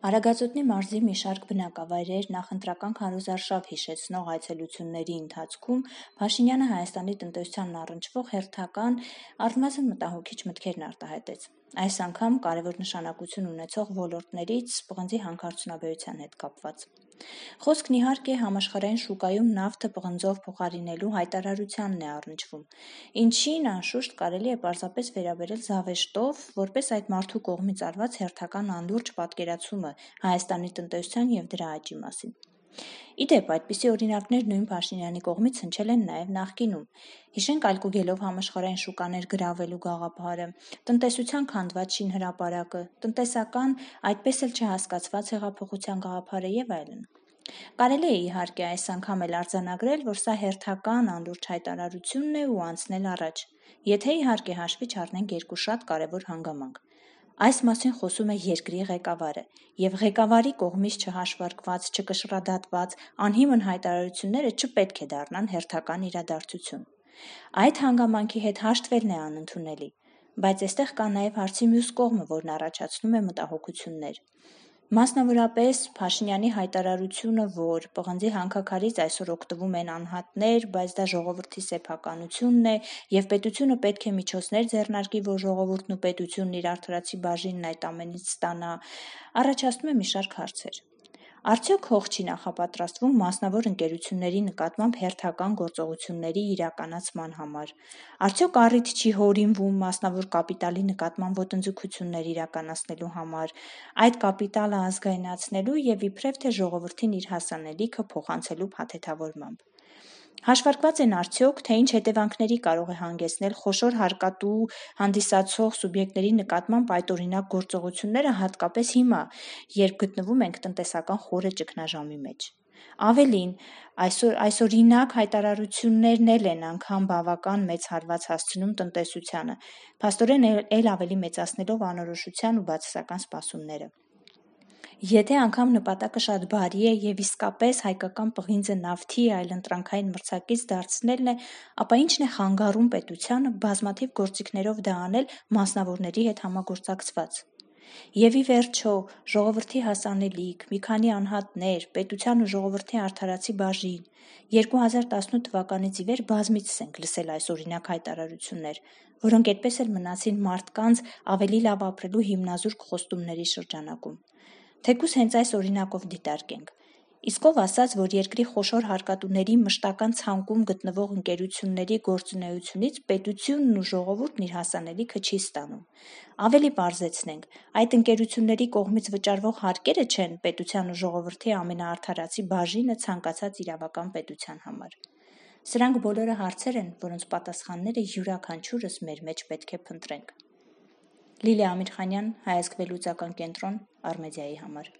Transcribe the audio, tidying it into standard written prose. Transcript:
Արագածոտնի մարզի մի շարք բնակավայրեր նախընտրական քարոզարշավ հիշեցնող այցելությունների ընթացքում Փաշինյանը Հայաստանի տնտեսությանն առնչվող հերթական, առնվազն մտահոգիչ մտքերն արտահայտեց։ Այս անգամ կարևոր նշանակություն ունեցող ոլորտներից պղնձի հանքարդյունաբերության հետ կապված։ Խոսքն իհարկե համաշխարհային շուկայում նավթը պղնձով փոխարինելու հայտարարությանն է առնչվում, ինչին անշուշտ կարելի է պարզապես վերաբերել զավեշտով, որպես այդ մարդու կողմից արված հերթական անլուրջ պատկերացումը Հայաստանի տնտեսության և դրա աճի մասին։ Ի դեպ, այդպիսի օրինակներ նույն Փաշինյանի կողմից հնչել են նաև նախկինում։ Հիշենք այլկուգելով համաշխարհային շուկաներ գրավելու գաղափարը, տնտեսության քանդված շինհրապարակը, տնտեսական, այդպես էլ չհասկացված հեղափոխության գաղափարը և այլն։ Կարելի է իհարկե այս անգամ էլ արձանագրել, որ սա հերթական անլուրջ հայտարարությունն է ու անցնել առաջ, եթե իհարկե հաշվի չառնենք երկու շատ կարևոր հանգամանք։ Այս մասին խոսում է երկրի ղեկավարը, և ղեկավարի կողմից չհաշվարկված, չկշռադատված, անհիմն հայտարարությունները չպետք է դառնան հերթական իրադարձություն։ Այդ հանգամանքի հետ հաշտվելն է անընդունելի, բայց այստեղ կա նաև հարցի մյուս կողմը, որն առաջացնում է մտահոգություններ։ Մասնավորապես Փաշինյանի հայտարարությունը, որ պղնձի հանքաքարից այսօր օգտվում են անհատներ, բայց դա ժողովրդի սեփականությունն է, և պետությունը պետք է միջոցներ ձեռնարկի, որ ժողովուրդն ու պետությունն իր արդարացի բաժինն այդ ամենից ստանա, առաջացնում է մի շարք հարցեր։ Արդյոք հող չի նախապատրաստվում մասնավոր ընկերությունների նկատմամբ հերթական գործողությունների իրականացման համար։ Արդյոք առիթ չի հորինվում մասնավոր կապիտալի նկատմամբ ոտնձգություններ իրականացնելու համար, այդ կապիտալը ազգայնացնելու և իբրև թե ժողովրդին իր հասանելիքը փոխանցելու փաթեթավորմամբ։ Հաշվարկված են արդյոք, թե ինչ հետևանքների կարող է հանգեցնել խոշոր հարկատու հանդիսացող սուբյեկտների նկատմամբ այդօրինակ գործողությունները, հատկապես հիմա, երբ գտնվում ենք տնտեսական խորը ճգնաժամի մեջ։ Ավելին, այսօրինակ հայտարարություններն էլ են անգամ բավական մեծ հարված հասցնում տնտեսությանը, փաստորեն էլ ավելի մեծացնելով անորոշության ու բացասական սպասումները։ Եթե անգամ նպատակը շատ բարի է և իսկապես հայկական պղինձը նավթի այլընտրանքային մրցակից դարձնելն է, ապա ի՞նչն է խանգարում պետությանը բազմաթիվ գործիքներով դա անել մասնավորների հետ համագործակցված։ Եվ ի վերջո, ժողովրդի հասանելիք, մի քանի անհատներ, պետության ու ժողովրդի արդարացի բաժին, 2018 թվականից ի վեր բազմիցս ենք լսել այսօրինակ հայտարարություններ, որոնք այդպես էլ մնացին մարդկանց ավելի լավ ապրելու հիմնազուրկ խոստումների շրջանակում։ Թեկուզ հենց այս օրինակով դիտարկենք։ Իսկ ով ասաց, որ երկրի խոշոր հարկատուների մշտական ցանկում գտնվող ընկերությունների գործունեությունից պետությունն ու ժողովուրդն իր հասանելիքը չի ստանում։ Ավելի պարզեցնենք, այդ ընկերությունների կողմից վճարվող հարկերը չեն պետության ու ժողովրդի ամենաարդարացի բաժինը ցանկացած իրավական պետության համար։ Սրանք բոլորը հարցեր են, որոնց պատասխանները յուրաքանչյուրս մեր մեջ պետք է փնտրենք։ Լիլիա Ամիրխանյան, Հայ ազգ վերլուծական կենտրոն, Արմեդիայի համար։